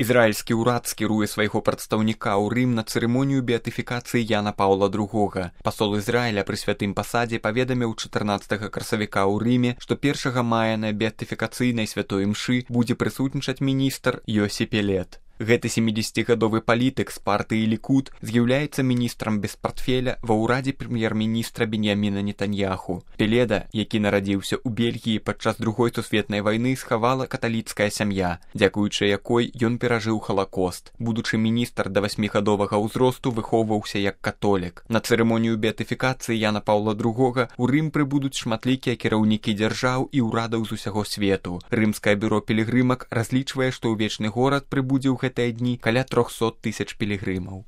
Ізраільскі ўрад скіруе свайго прадстаўніка ў Рым на цырымонію беатыфікацыі Яна Паўла II. Пасол Ізраіля пры святым пасадзе паведаміў 14 красавіка ў Рыме, што 1 мая на беатыфікацыйнай святой імшы будзе прысутнічаць міністр Йосі Пелет. Гэты 70-гадовы палітык з партыі Лікуд з'яўляецца міністрам без партфеля ва ўрадзе прэм'ер-міністра Беньяміна Нетаньяху. Пеледа, які нарадзіўся ў Бельгіі падчас Другой сусветнай вайны, схавала каталіцкая сям'я, дзякуючы якой ён перажыў Халакост. Будучы міністр да 8гадовага ўзросту выхоўваўся як католік. На цырымонію беатыфікацыі Яна Паўла II у Рым прыбудуць шматлікія кіраўнікі дзяржаў і ўрадаў з усяго свету. Рымскае бюро пілігрымак разлічвае, што ў вечны горад прыбудзе ў гэтыя дні каля 300 000 пілігрымаў.